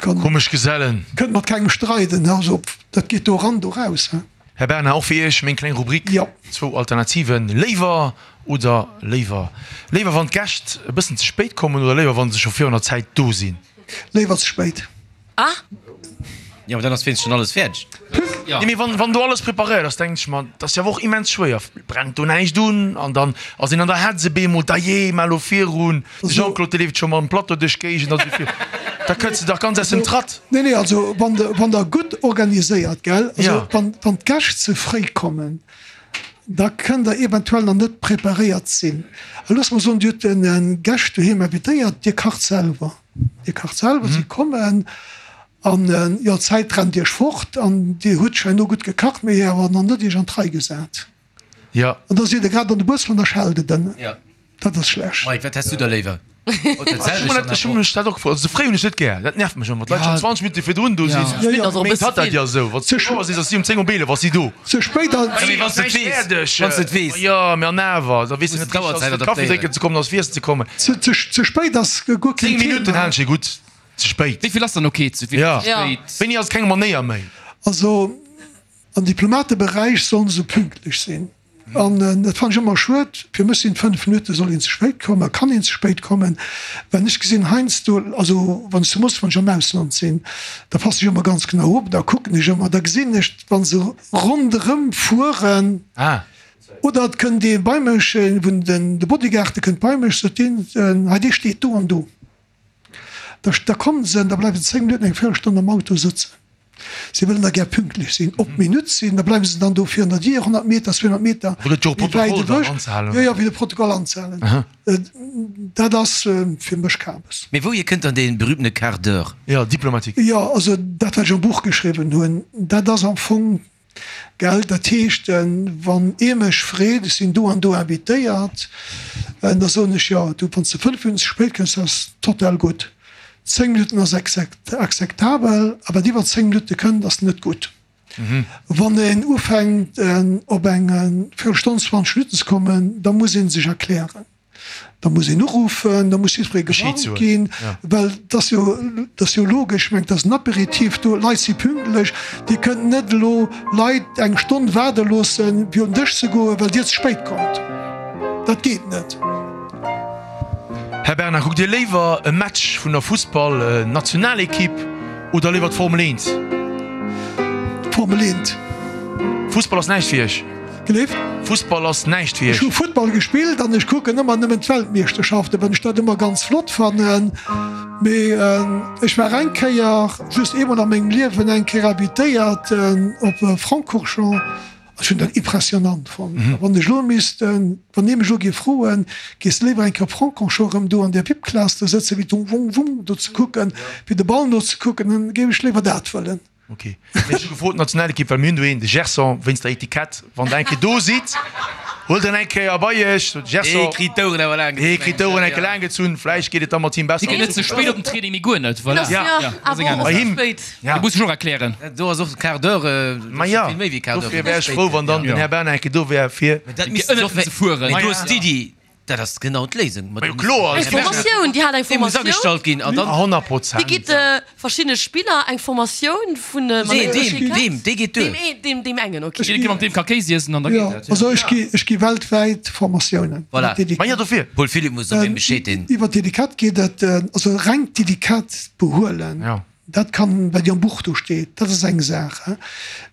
Komesch Gesellen. Kënnt mat kengem streiden, he? Also dat geet do eran, do raus, he? Här Bernard, och fir Iech meng kleng Rubrik, zwou Alternativen, léiwer oder léiwer? Léiwer wann d'Gäscht e bëssen ze spéit kommen oder léiwer wann se scho virun der Zäit do sinn? Léiwer ze spéit. Ah! Jo, mee dann ass wéinstens schon alles fäerdeg. Nee, mee wann, wann do alles preparéiert ass, denken ech mer, dat ass jo awer och immens schwéier. Brennt do näischt un an dann ass een an der Hetz op eemol, dajee, mar elo virun. De Jean-Claude, dee leeft scho mam Plateau duerch d'Géigend, also fir, da kënns de dach ganz aus dem Tratt. Nee, nee, also wann de, wann der gutt organiséiert, gell, also wann, wann d'Gäscht ze fréi kommen, da kënnt der eventuell nach net preparéiert sinn. A loosse mer soen, Dir hutt den Gäscht doheem invitéiert, Dir kacht selwer, Dir kacht selwer, si kommen an, jo, d'Zäit rennt Iech fort an Dir hutt scho herno gutt gekacht, mee awer nach net Iech an d'Rei gesat. Jo. An da sidd Der grad an de Bus an da schellt et ënnen. Dat ass schlecht. Mike, wat häss du da léiwer? Ech hu mech dat och gefrot. Also ze fréi hunn ech net gär. Dat nervt mech ëmmer, wann d'Leit schonn 20 Minutte virdrun do sinn. Méint hat dat jo esou. Wann s du 10 Auer sees, ass si um 10 op 11 ass si do. Ze spéit ass. Mee wann s de et weess. Wann s de et weess. Jo, mee an awer, da weess de net richteg, ass fir Kaffi drénken ze kommen, ass fir iessen ze kommen. Ze spéit ass guer keen 10 Minutten Thema. halen ech fir gutt. Ze spéit. Wéi vill ass dann ok? Ze spéit? Wéini ass et keng Manéier méi? Also am Diplomateberäich sollen se pünktlech sinn. An dat fannen ech ëmmer schued. Fir mech sinn 5 Minutte soll een ze spéit kommen a kann een ze spéit kommen. Well ech gesinn heiansdo, also wann ech zu Moskau, wann ech am Ausland sinn, da passen ech ëmmer ganz genau op, da kucken ech ëmmer, da gesinn ech wa se ronderëm fueren, oder et kënnt ee bei mech, ee vun den de Bodyguarde kënnt bei mech, sot deen, hei dee steet do an do. Da da kommen se an da bleiwen se 10 Minutten, eng Véierelstonn am Auto sëtzen. Si wëllen da gär pünktlech sinn, op d'Minutt sinn. Da bleiwe se dann do virun der Dier, 100 Meter, 200 Meter méi wäit ewech. Jo, jo, fir de Protokoll anzehalen. Dat ass fir mech Kabes. Mee wouhier kënnt dann dee berühmtene Quart d'heure? Jo, diplomatique. Jo, also dat, wat ech am Buch geschriwwen hunn, dat ass am Fong, gell, dat heescht, wann ee mech freet, ech sinn do an do invitéiert, da soen ech, jo, du, wann s de 5 Minutten ze spéit kënns, dat ass total gutt. 10 Minutten ass akzeptabel, a wat iwwer 10 Minutte kënnt, ass net gutt. Wann een ufänkt op eng Véierelstonn, 20 Minutten ze kommen, da muss ee sech erklären, da muss een uruffen, da muss jiddweree gewarnt ginn, well et ass jo, et ass jo logesch, ech mengen, et ass en Apéritif do, d'Leit si pünktlech, Dir kënnt net elo Leit eng Stonn waarde loossen, fir un den Dësch ze goen, well Dir ze spéit kommt. Dat geet net. Här Bernard, kuckt Dir léiwer e Match vun der Fussball-Nationalekipp oder léiwer d'Formel 1? D'Formel 1. Fussball ass näischt fir Iech? Gelift? Fussball ass näischt fir Iech? Ech hu Futtball gespillt an ech kucken ëmmer nëmmen d'Weltmeeschterschaften, well ech dat ëmmer ganz flott fannen. Mee ech war eng Kéier, just eemol a mengem Liewen, eng Kéier invitéiert op Francorchamps. Ech hunn dat impressionant fonnt. A wann ech elo misst, wann ee mech elo géif froen, Gees de léiwer eng Kéier op Francorchamps erëm do an där VIP-Class do sëtzen, wéi d'Wung, Wung, Wung do ze kucken, wéi de Ball nozekucken, dann géif ech léiwer dat wëllen. Ok. Mee ech hu gefrot, d'Nationalekipp, well mir hunn do een, de Gerson, wéinst der Etikett, wann der eng Kéier do sidd, huelt en eng Kéier bei iech, sot de Gerson. Dee kritt d'Oueren awer laang gezunn. Dee kritt d'Oueren eng Kéier laang gezunn, vläicht geet et da mat him besser. Dee geet net ze spéit op den Training, mee guer net, voilà. Ja, bei him. Ja. Dee muss ech och erklären. Do ass och de Quart d'heure, Ma ja, vill méi wéi Quart d'heure. Dofir wär ech frou, wann dann den Här Bernard eng Kéier do wär, fir. Mee dat misst ënnert ze fueren. Mee du hues d'Iddi, dat ass genau d'Léisung. Ma jo, kloer. Eng Formatioun, Dir hat eng Dee muss Formatioun. agestallt ginn an dann. 100 Prozent. Dir gitt verschiddene Spiller eng Formatioun vun. Nee, deem, deem, dee geet duer. Deem een, deem, deem engen, ok. Jidderee mat deem ka Kéis iessen an da geet dat. Also ech gi, ech gi weltwäit Formatiounen. Voilà. Ma jo, dofir. Paul Philipp muss op een Bescheed deen. Iwwer d'Etikett geet et, also reng d'Etikett behuelen. Jo. Dat kann, wat jo am Buch do steet, dat ass eng Saach.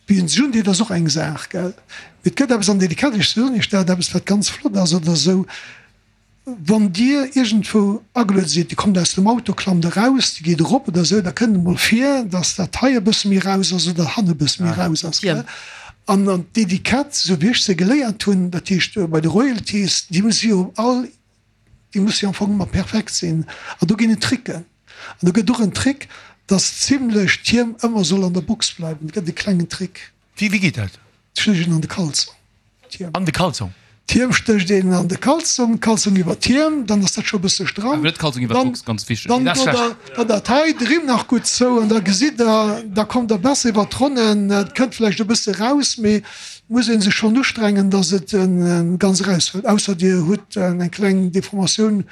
Wéi een sech undeet, ass och eng Saach, gell. Mee et gëtt eppes an Delikat, ech soen Iech dat, eppes wat ganz flott ass oder esou, Wann Dir iergendwou ageluede sidd, Dir kommt aus dem Auto, klammt eraus, Dir geet erop oder esou, da kënnt et emol vir, dass dat hei e bësse méi raus ass oder hannen e bësse méi raus ass, gell. An d'Etikett, esou wéi ech se geléiert hunn, dat heescht bei de Royalties, déi muss jo all, Déi muss jo am Fong ëmmer perfekt sinn. An do ginn et Tricken. An do gëtt och en Trick, dass zimlech d'Hiem ëmmer soll an der Box bleiwen. Et gëtt e klengen Trick. Wéi, wéi geet dat? Ech leeën an de Kalzong, d'Hiem. An de Kalzong? D'Hiem stécht een an de Kalzong, d'Kalzong iwwer d'Hiem, dann ass dat scho e bësse stramm. Awer net d'Kalzong iwwer d'Box, ganz wichteg. Dann dot der dann dat hei, de Rimm nach gutt zou an da gesitt der, da kommt der besser iwwer d'Ronnen. Et kënnt vläicht e bësse raus, mee et muss ee sech schonn ustrengen, dass et ganz eraushëlt, ausser dir hutt eng kleng Deformatioun.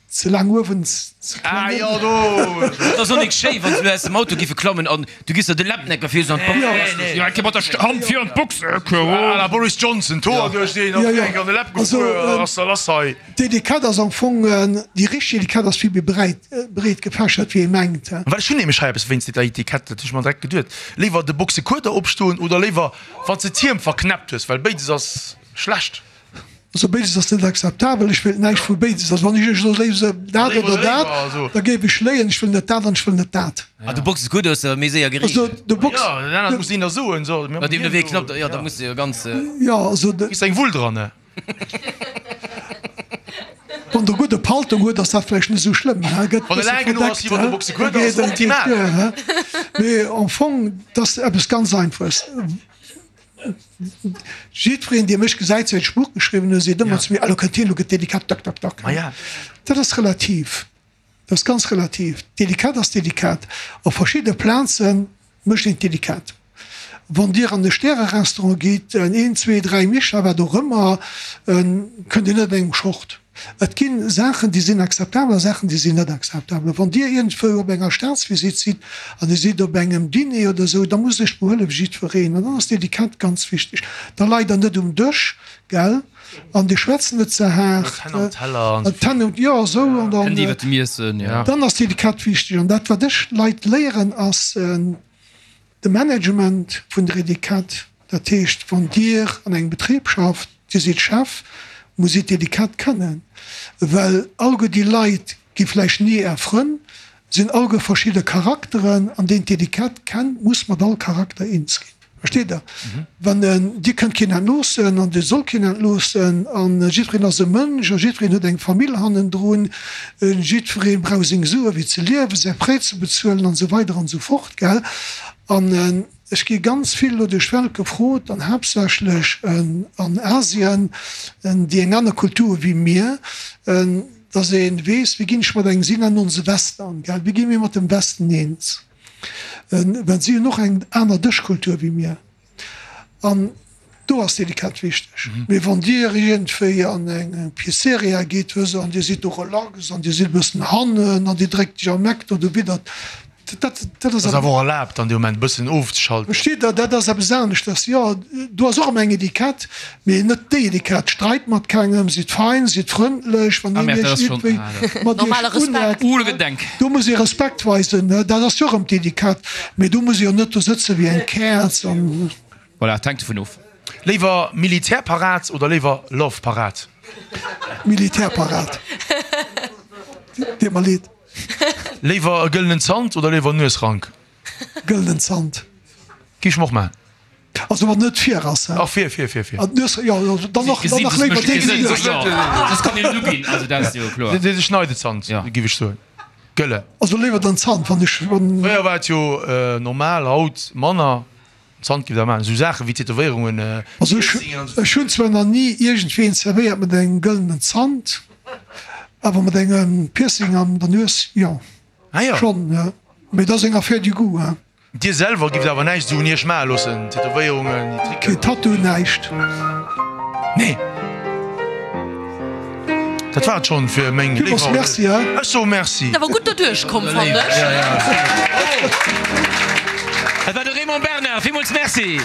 Ze laang uewen, ze kleng ënnen. Et ass och nik schéi wann se elo aus dem Auto giffe klammen an du giss der de Läppnecker vir an d'Box. Jo, eng Kéier mat der Hand vir an d'Box. À la Boris Johnson, d'Hoer duerch deen an d'Enk an de Läpp gefuer, ass da lass hei. D'Etikett ass am Fong, déi richteg Etikett ass vill méi breit, breet gefächert wéi ee mengt. Well ech hunn nämlech hei eppes wéinst der Etikett, dat hu ech mer direkt geduet, léiwer de Boxekueder opstoen oder léiwer wann s de d'Hiem verknäppt hues, well béides ass schlecht. Also béides ass net akzeptabel. Ech wéilt näischt vu béides. Also wann ech Iech elo léise dat oder dat, da géif ech léien, ech wëll net dat an ech wëll net dat. Ah, de Box ass gutt, hues de méi séier gereegelt. Also de Box. Jo, dat anert muss een da soen. So, Bei deem de Wee knappt, jo, da muss de jo ganz. Jo, also de. Kriss eng Wull dran, ne? Wann der gudde Paltong huet, ass dat vläicht net esou schlëmm, he, gëtt Wann e bësse laang genuch ass verdeckt, iwwer de he, Boxekueder, da ass geet et optimal. duer, he. Mee am Fong, dat ass eppes ganz Einfaches. Jiddwereen, dee mech gesäit, säit ech Buch geschriwwen hunn, seet ëmmer zu mir, Elo kënnt hien, elo gëtt delikat, tak, tak, tak. Dat ass relativ. Dat ass ganz relativ. Delikat ass delikat. Op verschidde Plaze mécht een et delikat. Wann Dir an e Stärerestaurant gitt, een, zwee, dräi Michelin, wat och ëmmer, kënnt Dir net an engem Short. Et gi Saachen, déi sinn akzeptabel a Saachen, déi sinn net akzeptabel. Wann Dir iergendwou op enger Staatsvisitt sidd an Dir sidd op engem Diner oder esou, da muss Iech behuele wéi jiddwereen. An dann ass d'Etikett ganz wichteg. Da leit Der net um Dësch, gell, an Dir schwätzt net ze haart. D'Hänn um, jo, esou. An dann, dann ass d'Etikett wichteg. An dat, wat ech Leit léieren, ass, De Management vun der Etikett, dat heescht, wann Dir an engem Betrib schafft, Dir sidd Chef, musst Dir d'Etikett kënnen, well alleguer déi Leit gi vläicht ni Är Frënn, sinn alleguer verschidde Charakteren an deen d'Etikett kennt, muss mat all Charakter eens ginn. Versteet Der? Wann Dir kënnt keen entloossen an Dir sollt keen entloossen an jiddwereen ass e Mënsch a jiddwereen huet eng Famill hannendrun, jiddweree brauch seng Sue fir ze liewen, säi Prêt ze bezuelen an esou weider an esou fort. Gell? An ech gi ganz vill elo duerch d'Welt gefrot, an haaptsächlech an Asien, déi eng aner Kultur hu wéi mir, dass ee weess, wéi ginn ech mat engem, si nennen ons e Western, gell, wéi gi mir mat dem Westen eens? Well si hunn och eng aner Dëschkultur wéi mir. An do ass d'Etikett wichteg. Mee wann Dir iergendwéi an eng Pizzeria gitt, wësst Der, an Dir sidd do relax an Dir sidd e bëssen hannen an Dir dréckt Iech am Eck do dowidder, dat, dat ass. Ass awer och erlaabt an deem Moment e bëssen ofzeschalten. Versteet Der, dat ass eppes aneschters. Jo, do ass och ëmmer eng Etikett, mee net déi Etikett. Streit mat kengem, sidd fein, sidd frëndlech, wann een Iech iergendwéi mat Iech uneckt, do muss ee Respekt weisen. Dat ass jo och erëm d'Etikett. Mee do muss ee jo net do sëtze wéi eng Käerz an. Voilà, et hänkt dovun of. Léiwer Militärparad oder léiwer Love-Parad? Militärparad. Deet mer leed. Léiwer e gëllenen Zant oder léiwer Nuesrank? Gëllenen Zant. Gi ech mer och maachen. Also wann net vir ass, hä? Ach vir, vir, vir, vir. An d'Nues, jo, dann och, dann nach léiwer dee wéi d'Nues. Soss kann een et uginn, also dat ass jo kloer. De Schneidezant, giff ech soen. Gëlle. Also léiwer den Zant, wann ech, wann. Fréier war et jo normal, haut manner. Zant giff der maachen, esou Saachen wéi Tätowéierungen, Also ech, ech hunn zwar nach ni iergendween zerwéiert mat engem gëllenen Zant, awer mat engem Piercing an der Nues, jo. Ah jo. Schonn, jo. Mee dat ass eng Affaire du goût, hein. Dir selwer gifft awer näischt esou un iech maache loossen, Tätowéierungen, déi Tricken? Keen Tattoo, näischt. Nee. Dat war et schonn fir meng Villmools Léiwer. Merci, hein. Ech soe Merci. Awer gutt doduerch komm, fannen ech. Dat war de Raymond Bernard. Villmools Merci.